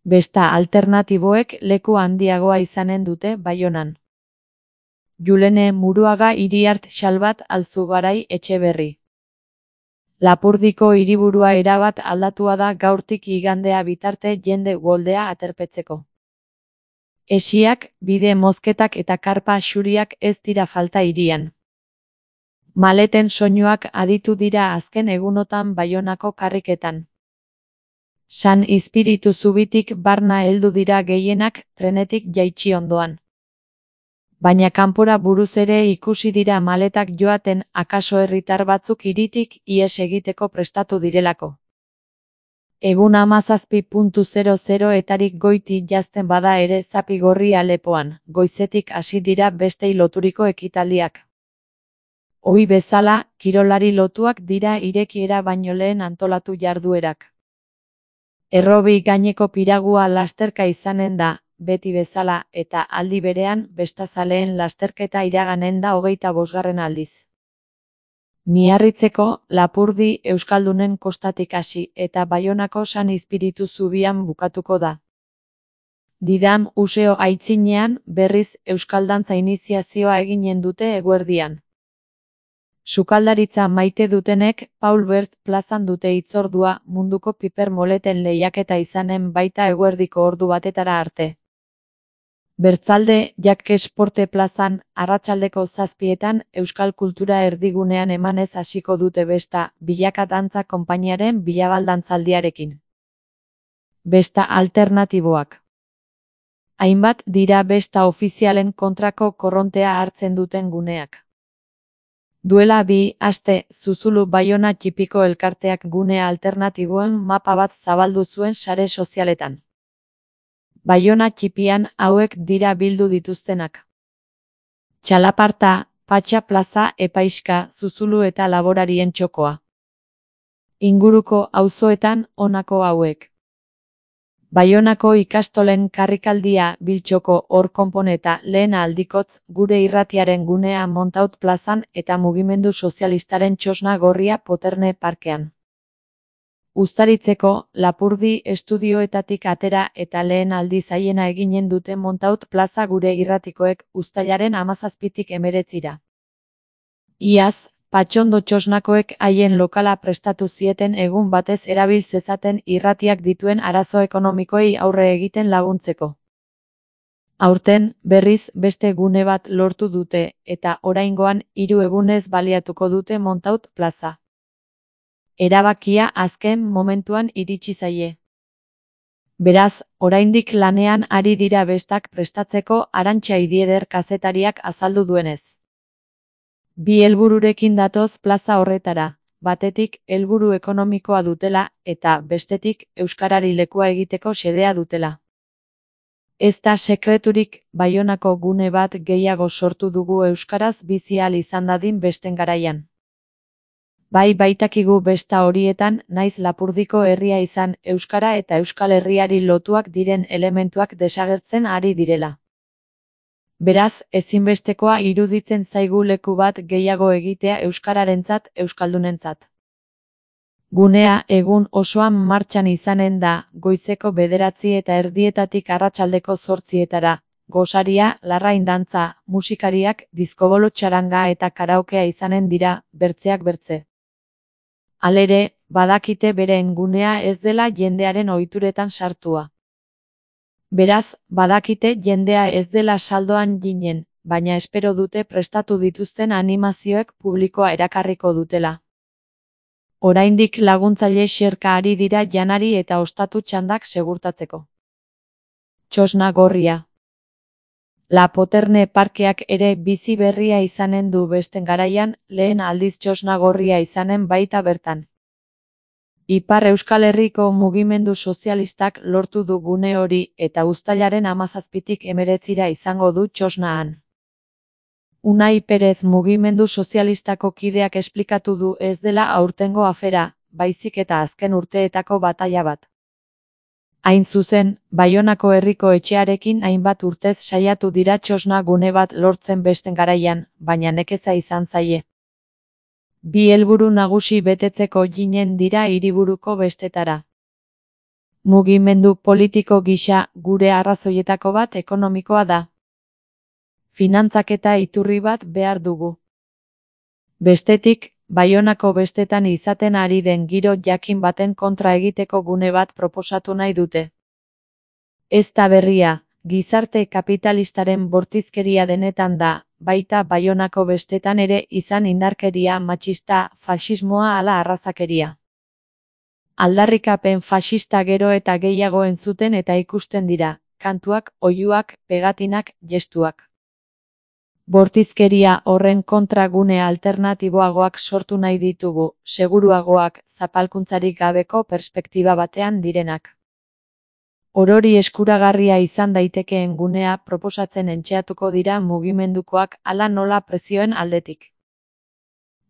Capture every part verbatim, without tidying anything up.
Besta alternatiboek leku handiagoa izanen dute Baionan. Julene Muruaga Iriart Xalbat Alzugarai Etxeberri. Lapurdiko hiriburua erabat aldatua da gaurtik igandea bitarte jende uholdea aterpetzeko. Esiak, bide mozketak eta karpa xuriak ez dira falta hirian. Maleten soinuak aditu dira azken egunotan Baionako karriketan. San Izpiritu Zubitik barna heldu dira gehienak trenetik jaitsi ondoan. Baina kanpora buruz ere ikusi dira maletak joaten akaso herritar batzuk hiritik ihes egiteko prestatu direlako. Egun hamazazpi puntu zero zero etarik goiti jazten bada ere Zapigorri Alepoan, goizetik hasi dira bestei loturiko ekitaldiak. Ohi bezala, kirolari lotuak dira irekiera baino lehen antolatu jarduerak. Errobi gaineko piragua lasterka izanen da, beti bezala, eta aldi berean, bestazaleen lasterketa iraganen da hogeita bosgarren aldiz. Miarritzeko, Lapurdi Euskaldunen kostatik hasi eta Baionako San Izpiritu Zubian bukatuko da. Didam Useo aitzinean, berriz Euskaldantza iniziazioa eginen dute eguerdian. Sukaldaritza maite dutenek, Paul Bert plazan dute hitzordua munduko piper moleten lehiaketa izanen baita eguerdiko ordu batetara arte. Bertzalde, Jak Esporte plazan, arratsaldeko zazpietan, Euskal Kultura erdigunean emanez hasiko dute besta, Bilaka Dantza konpainiaren bilabaldantzaldiarekin. Besta alternatiboak. Hainbat dira besta ofizialen kontrako korrontea hartzen duten guneak. Duela bi aste, Zuzulu Baiona Txipiko elkarteak gune alternatiboen mapa bat zabaldu zuen sare sozialetan. Baiona Txipian hauek dira bildu dituztenak. Txalaparta, Patxa Plaza, Epaiska, Zuzulu eta Laborarien txokoa. Inguruko auzoetan honako hauek. Baionako ikastolen karrikaldia Biltxoko hor konponeta lehen aldikotz gure irratiaren gunea Montaut plazan eta mugimendu sozialistaren txosna gorria Poterne parkean. Uztaritzeko, Lapurdi estudioetatik atera eta lehen aldiz haiena eginen dute Montaut plaza gure irratikoek uztailaren hamazazpitik hemeretzira. Iaz, Patxondo txosnakoek haien lokala prestatu zieten egun batez erabil zezaten irratiak dituen arazo ekonomikoei aurre egiten laguntzeko. Aurten, berriz, beste gune bat lortu dute, eta oraingoan hiru egunez baliatuko dute Montaut plaza. Erabakia azken momentuan iritsi zaie. Beraz, oraindik lanean ari dira bestak prestatzeko Arantxa Idieder kazetariak azaldu duenez. Bi helbururekin datoz plaza horretara, batetik helburu ekonomikoa dutela eta bestetik euskarari lekua egiteko xedea dutela. Ez da sekreturik, Baionako gune bat gehiago sortu dugu euskaraz bizi ahal izan dadin besten garaian. Bai baitakigu besta horietan, naiz Lapurdiko herria izan, euskara eta Euskal Herriari lotuak diren elementuak desagertzen ari direla. Beraz, ezinbestekoa iruditzen zaigu leku bat gehiago egitea euskararentzat, euskaldunentzat. Gunea egun osoan martxan izanen da, goizeko bederatzi eta erdietatik arratsaldeko zortzietara, gosaria, larrain dantza, musikariak, diskobolo txaranga eta karaokea izanen dira, bertzeak bertze. Halere, badakite beren gunea ez dela jendearen ohituretan sartua. Beraz, badakite jendea ez dela saldoan ginen, baina espero dute prestatu dituzten animazioek publikoa erakarriko dutela. Oraindik laguntzaile xerka ari dira janari eta ostatu txandak segurtatzeko. Txosna gorria. La Poterne parkeak ere bizi berria izanen du besten garaian, lehen aldiz txosna gorria izanen baita bertan. Ipar Euskal Herriko mugimendu sozialistak lortu du gune hori eta uztailaren hamazazpitik hemeretzira izango du txosnaan. Unai Perez mugimendu sozialistako kideak esplikatu du ez dela aurtengo afera, baizik eta azken urteetako bataila bat. Hain zuzen, Baionako herriko etxearekin hainbat urtez saiatu dira txosna gune bat lortzen besten garaian, baina nekeza izan zaie. Bi helburu nagusi betetzeko ginen dira hiriburuko bestetara. Mugimendu politiko gisa gure arrazoietako bat ekonomikoa da. Finantzaketa iturri bat behar dugu. Bestetik, Baionako bestetan izaten ari den giro jakin baten kontra egiteko gune bat proposatu nahi dute. Ez da berria, gizarte kapitalistaren bortizkeria denetan da, baita Baionako bestetan ere izan indarkeria matxista, faxismoa ala arrazakeria. Aldarrikapen faxista gero eta gehiago entzuten eta ikusten dira, kantuak, oihuak, pegatinak, gestuak. Bortizkeria horren kontra gune alternatiboagoak sortu nahi ditugu, seguruagoak, zapalkuntzarik gabeko perspektiba batean direnak. Orori eskuragarria izan daitekeen gunea proposatzen entxeatuko dira mugimendukoak hala nola prezioen aldetik.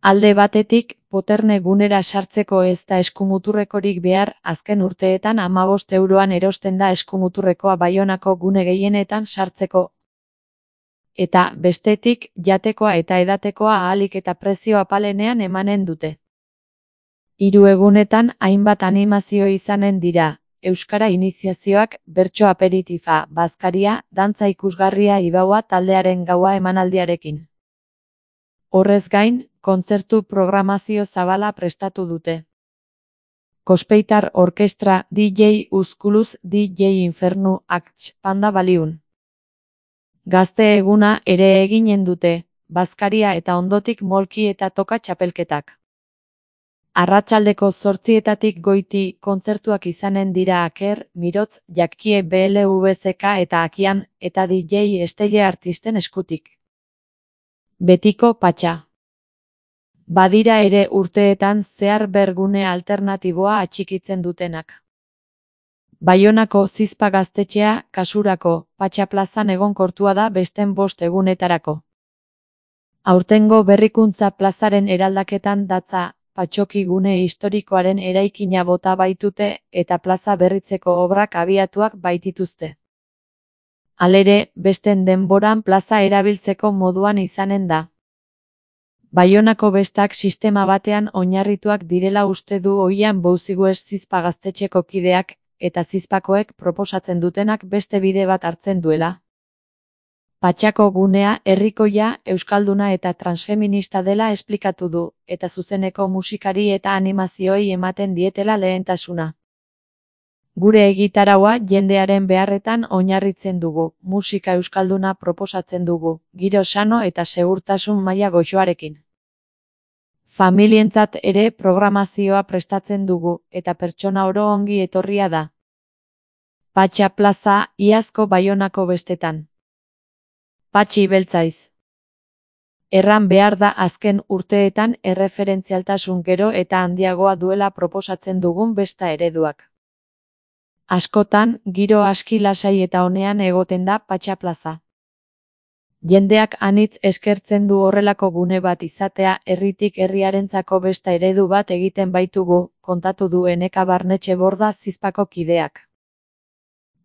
Alde batetik, poterne gunera sartzeko ez da eskumuturrekorik behar, azken urteetan hamabost euroan erosten da eskumuturrekoa Baionako gune gehienetan sartzeko. Eta, bestetik, jatekoa eta edatekoa ahalik eta prezio apalenean emanen dute. Hiru egunetan hainbat animazio izanen dira, euskara iniziazioak, bertso aperitifa, bazkaria, dantza ikusgarria ibaua taldearen gaua emanaldiarekin. Horrez gain, kontzertu programazio zabala prestatu dute. Kospeitar Orkestra, D J Uzkuluz, D J Infernu, Akts, Panda Baliun. Gazte eguna ere eginen dute, bazkaria eta ondotik molki eta toka txapelketak. Arratsaldeko zortzietatik goiti kontzertuak izanen dira Aker, Mirotz, Jakie B L V Z K eta Akian, eta D J Estelle artisten eskutik. Betiko patxa. Badira ere urteetan zehar bergune alternatiboa atxikitzen dutenak. Baionako Zizpa gaztetxea, kasurako, Patxa plazan egonkortua da besten bost egunetarako. Aurtengo berrikuntza plazaren eraldaketan datza, Patxoki gune historikoaren eraikina bota baitute eta plaza berritzeko obrak abiatuak baitituzte. Halere, besten denboran plaza erabiltzeko moduan izanen da. Baionako bestak sistema batean oinarrituak direla uste du oian Bouzigues Zizpa gaztetxeko kideak, eta Zizpakoek proposatzen dutenak beste bide bat hartzen duela. Patxako gunea herrikoia, euskalduna eta transfeminista dela esplikatu du, eta zuzeneko musikari eta animazioei ematen dietela lehentasuna. Gure egitaraua jendearen beharretan oinarritzen dugu, musika euskalduna proposatzen dugu, giro sano eta segurtasun maila goxoarekin. Familientzat ere programazioa prestatzen dugu, eta pertsona oro ongi etorria da. Patxa plaza, iazko Baionako bestetan. Patxi beltzaiz. Erran behar da azken urteetan erreferentzialtasun gero eta handiagoa duela proposatzen dugun besta ereduak. Askotan, giro aski lasai eta onean egoten da Patxa plaza. Jendeak anitz eskertzen du horrelako gune bat izatea herritik herriarentzako besta eredu bat egiten baitugu, kontatu du Eneka Barnetxe Borda Zizpako kideak.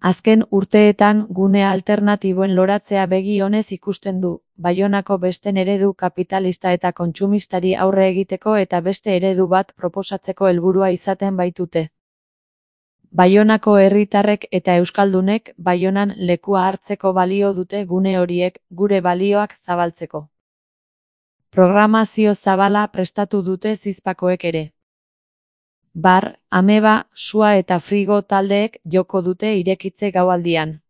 Azken urteetan gune alternatiboen loratzea begi onez ikusten du, Baionako besten eredu kapitalista eta kontsumistari aurre egiteko eta beste eredu bat proposatzeko helburua izaten baitute. Baionako herritarrek eta euskaldunek Baionan lekua hartzeko balio dute gune horiek, gure balioak zabaltzeko. Programazio zabala prestatu dute Zizpakoek ere. Bar, ameba, sua eta frigo taldeek joko dute irekitze gaualdian.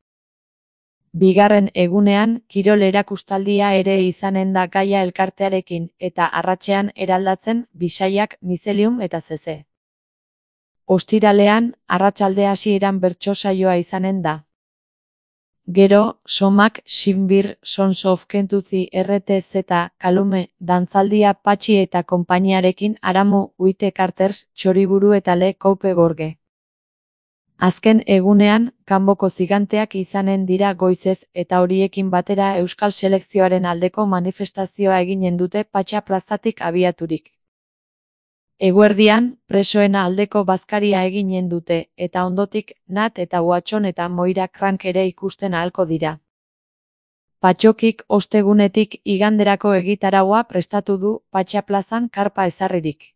Bigarren egunean, kirol erakustaldia ere izanen da Gaia elkartearekin eta arratsean eraldatzen Bisaiak, Mizelium eta Zeze. Ostiralean, arratsalde hasieran bertso saioa izanen da. Gero, Somak, Sinbir, Sons of Kentucky R T Z, Kalume, dantzaldia Patxi eta konpainiarekin Aramu, Uite Carters, Txoriburu eta Le Coupe Gorge. Azken egunean, kanboko ziganteak izanen dira goizez eta horiekin batera euskal selekzioaren aldeko manifestazioa eginen dute Patxa plazatik abiaturik. Eguerdian, presoena aldeko bazkaria eginen dute, eta ondotik, Nat eta Watson eta Moira Crank ere ikusten ahalko dira. Patxokik ostegunetik iganderako egitaraua prestatu du Patxa plazan karpa ezarririk.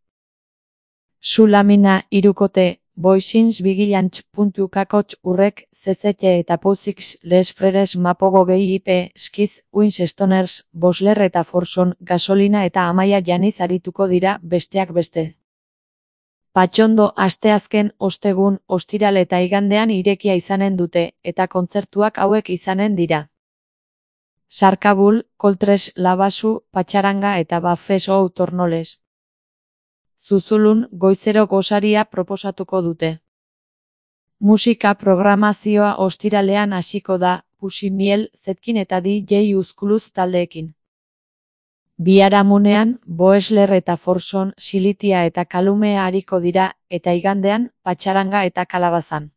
Su lamina, hirukote, boixins vigilants puntu kakotx urrek, zezete eta pouzix les freres mapogo gehi ipe, skiz, wins stoners, bosler eta forson, gasolina eta amaia janiz arituko dira, besteak beste. Patxondo asteazken, ostegun, ostiral eta igandean irekia izanen dute, eta kontzertuak hauek izanen dira. Sarkabul, Koltres, Labasu, Patxaranga eta Bafesou Tornoles. Zuzulun, goizero gosaria proposatuko dute. Musika programazioa ostiralean hasiko da, Pusimiel, Zetkin eta D J Uzkuluz taldeekin. Biharamunean, Boesler eta Forson, Silitia eta Kalumea ariko dira, eta igandean, Patxaranga eta Kalabazan.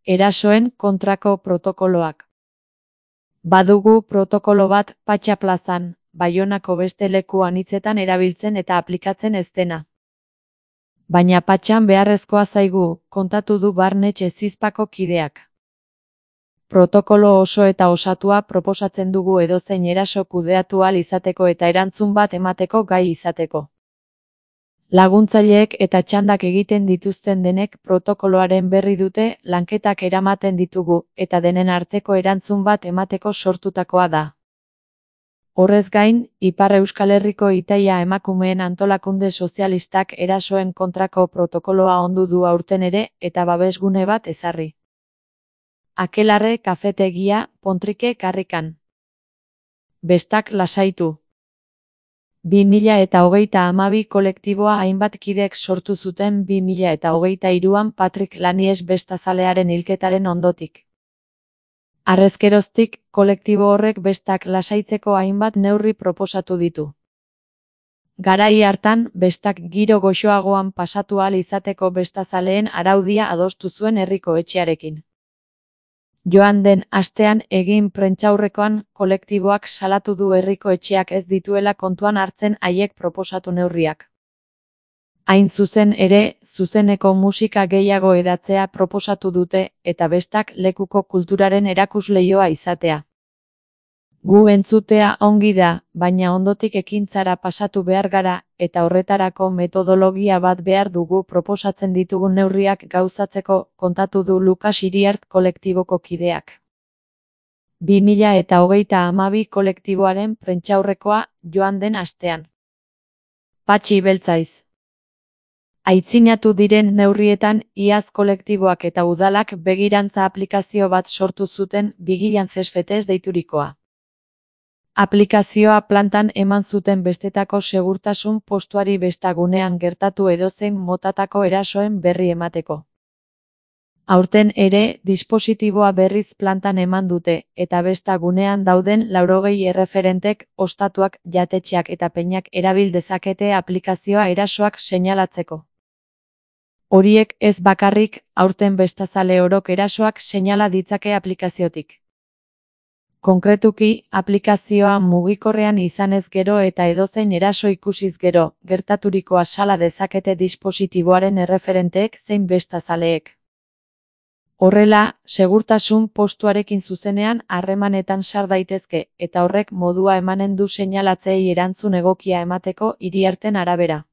Erasoen kontrako protokoloak. Badugu protokolo bat Patxa plazan, Baionako beste leku anitzetan erabiltzen eta aplikatzen ez dena. Baina Patxan beharrezkoa zaigu, kontatu du Barnetxe Zizpako kideak. Protokolo oso eta osatua proposatzen dugu edozein eraso kudeatu ahal izateko eta erantzun bat emateko gai izateko. Laguntzaileek eta txandak egiten dituzten denek protokoloaren berri dute, lanketak eramaten ditugu, eta denen arteko erantzun bat emateko sortutakoa da. Horrez gain, Ipar Euskal Herriko Itaia emakumeen antolakunde sozialistak erasoen kontrako protokoloa ondu du aurten ere, eta babesgune bat ezarri. Akelarre kafetegia, Pontrike karrikan. Bestak lasaitu. bi mila eta hogeita hamabi kolektiboa hainbat kidek sortu zuten bi mila eta hogeita hiruan Patrick Lanies bestazalearen hilketaren ondotik. Harrezkeroztik, kolektibo horrek bestak lasaitzeko hainbat neurri proposatu ditu. Garai hartan, bestak giro goxoagoan pasatu ahal izateko bestazaleen araudia adostu zuen herriko etxearekin. Joan den astean egin prentsaurrekoan kolektiboak salatu du herriko etxeak ez dituela kontuan hartzen haiek proposatu neurriak. Hain zuzen ere, zuzeneko musika gehiago edatzea proposatu dute, eta bestak lekuko kulturaren erakusleioa izatea. Gu entzutea ongi da, baina ondotik ekintzara pasatu behar gara, eta horretarako metodologia bat behar dugu proposatzen ditugun neurriak gauzatzeko, kontatu du Lukas Iriart kolektiboko kideak. bi mila eta hogeita hamabi kolektiboaren prentsaurrekoa joan den astean. Patxi beltzaiz. Aitzinatu diren neurrietan, iaz kolektiboak eta udalak begirantza aplikazio bat sortu zuten Bigilantzesfetez deiturikoa. Aplikazioa plantan eman zuten bestetako segurtasun postuari bestagunean gertatu edozein motatako erasoen berri emateko. Aurten ere, dispositiboa berriz plantan eman dute, eta bestagunean dauden laurogei erreferentek, ostatuak, jatetxeak eta peinak erabil dezakete aplikazioa erasoak seinalatzeko. Horiek ez bakarrik, aurten bestazale orok erasoak seinala ditzake aplikaziotik. Konkretuki, aplikazioa mugikorrean izanez gero eta edozein eraso ikusiz gero, gertaturikoa sala dezakete dispositiboaren erreferenteek zein bestazaleek. Horrela, segurtasun postuarekin zuzenean harremanetan sar daitezke, eta horrek modua emanen du seinalatzeei erantzun egokia emateko Iriarten arabera.